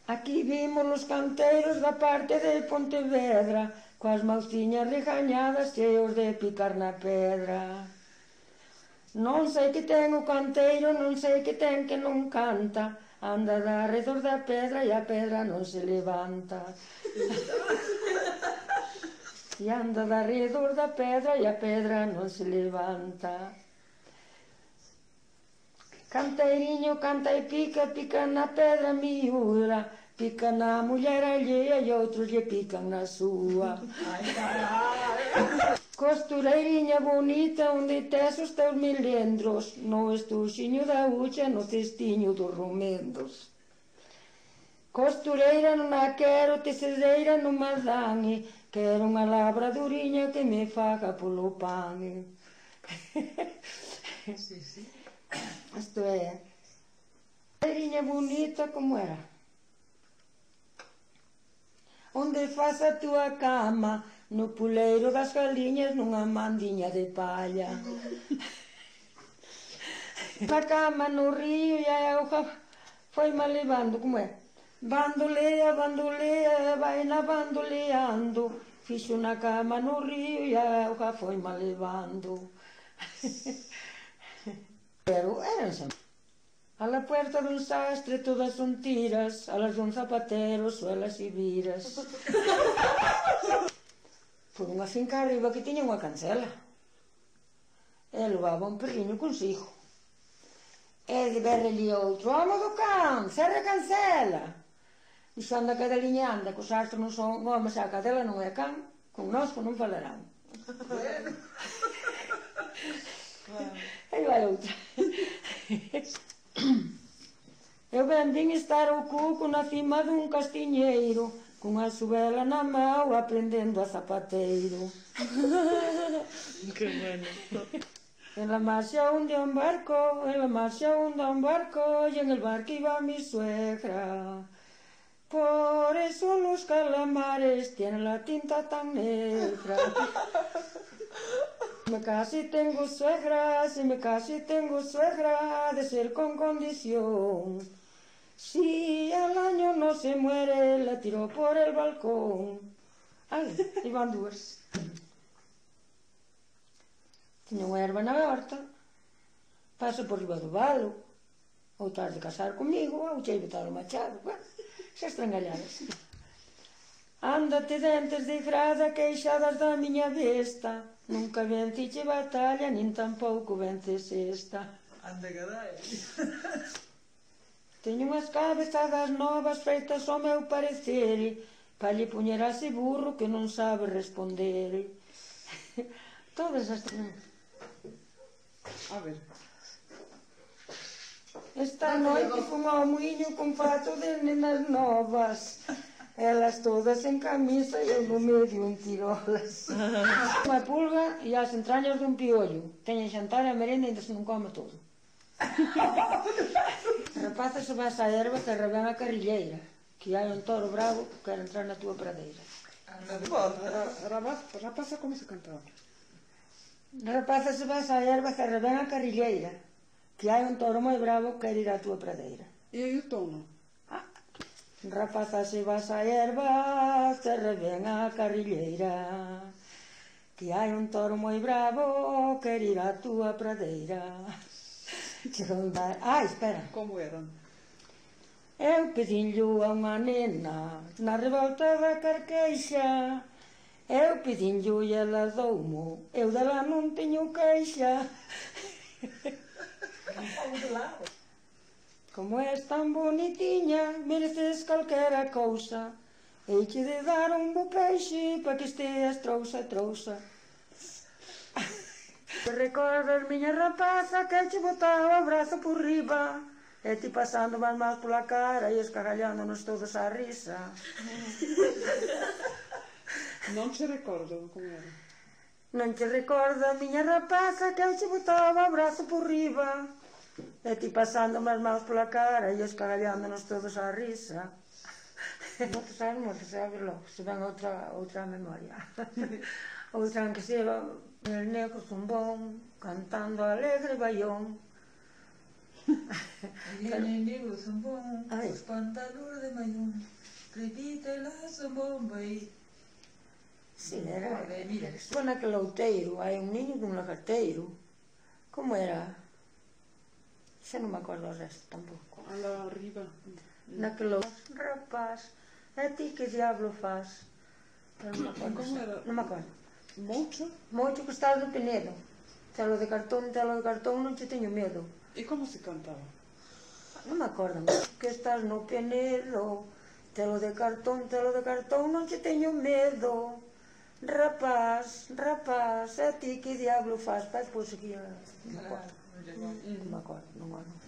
Aquí vimos os canteiros da parte de Pontevedra, coas mauciñas regañadas cheos de picar na pedra. Non sei que ten o canteiro, non sei que ten que non canta, anda de arredor da pedra e a pedra non se levanta. E anda de arredor da pedra e a pedra non se levanta. Canteiriño canta e pica, pica na pedra miúda, pica na muller allea e outros lle pican na súa. Costureiriña bonita, onde tes os teus milendros, no estuxiño da hucha, no cestiño dos romendos. Costureira non a quero, tecedeira non me dan, quero unha labraduriña que me faga polo pan. Sí, sí. Isto é. Costureiriña bonita, como era? Onde faz a túa cama, no puleiro das galiñas, nunha mandiña de palla. Na cama no río e a auga foi mal levando, como é? Bandolea, bandolea, vai na bandoleando, fixo na cama no río e a auga foi mal levando. Pero eran a la puerta dun sastre todas son tiras, a las dun zapatero suelas e viras. Por unha finca arriba que tiña unha cancela. E levaba un perriño consigo. E de berreli outro, home do can, cerra a cancela. Dixo, anda cadeliña, anda, que os astros non son homes, a cadela non é can, connosco non falarán. E vai outra. Eu ben vin estar o cuco na cima dun castiñeiro, cunha subela na mão, aprendendo a zapateiro. Que bueno. En la marcha hundía un barco, en la marcha hundía un barco, y en el barco iba mi suegra. Por eso los calamares tienen la tinta tan negra. Me casi tengo suegra, si me casi tengo suegra, de ser con condición. Si al año no se muere, la tiro por el balcón. Ai, iban dúas. Tiña unha erva na horta, paso por riba do valo, ou tras de casar comigo, ou chei botar o machado, xa estrangalladas. Ándate dentes de grada, queixadas da miña besta, nunca venciche batalla, nin tampouco vences esta. Anda, carai. Teño unhas cabezadas novas feitas ao meu parecer, pa lle poñer a ese burro que non sabe responder. Todas as... A ver. Esta noite fun ao muiño con fato de nenas novas, elas todas en camisa e eu no medio en tirolas. Unha pulga e as entrañas dun piollo. Teñen xantar e a merenda e ainda se non come todo. Rapaza, se vas á erva que arrebén a carrilleira, que hai un toro bravo que quer entrar na túa pradeira. Rapaza, como se cantaba? Rapaza, se vas á erva que arrebén a carrilleira, que hai un toro moi bravo que quer ir á túa pradeira. E aí o tono? Rapaza, se vas á erva que arrebén a carrilleira, que hai un toro moi bravo que quer ir á túa pradeira. Espera. Como eran? Eu pedinllo a unha nena na revolta da Carqueixa, eu pedinllo e ela doumo, eu dela non teño queixa. Como és tan bonitiña, mereces calquera cousa, heiche de dar un bo peixe pa que esteas trousa, trousa. Recordas, miña rapaza, que che botaba o brazo por riba, e ti pasando as mãos pola cara e escarrallándonos todos a risa. Non che recordo como era. Non che recorda, miña rapaza, que eu che botaba o brazo por riba, e ti pasando as mãos pola cara e escarrallándonos todos a risa. Non te sabes logo, se ven outra memoria. Outra en que se va el negro zumbón, cantando alegre baión. Menino zambón, Ai. os pantalones de mayón, repite la zambomba e... Sí, era... Joder, mira. Foi naquele outeiro, hai un niño dun lagarteiro. Como era? Xa non me acordo o resto tampouco. Alla arriba. Naquele rapaz, a ti que diablo faz? Non me acordo. Como era? Non me acordo. Mocho? Moito que estás do Penedo. Telo de cartón, non che teño medo. E como se cantaba? Non me acordo, que estás no Penedo. Telo de cartón, non che teño medo. Rapaz, rapaz, a ti que diablo faz? Pai, pois seguía. Non me acordo. Non me acordo, non me acordo.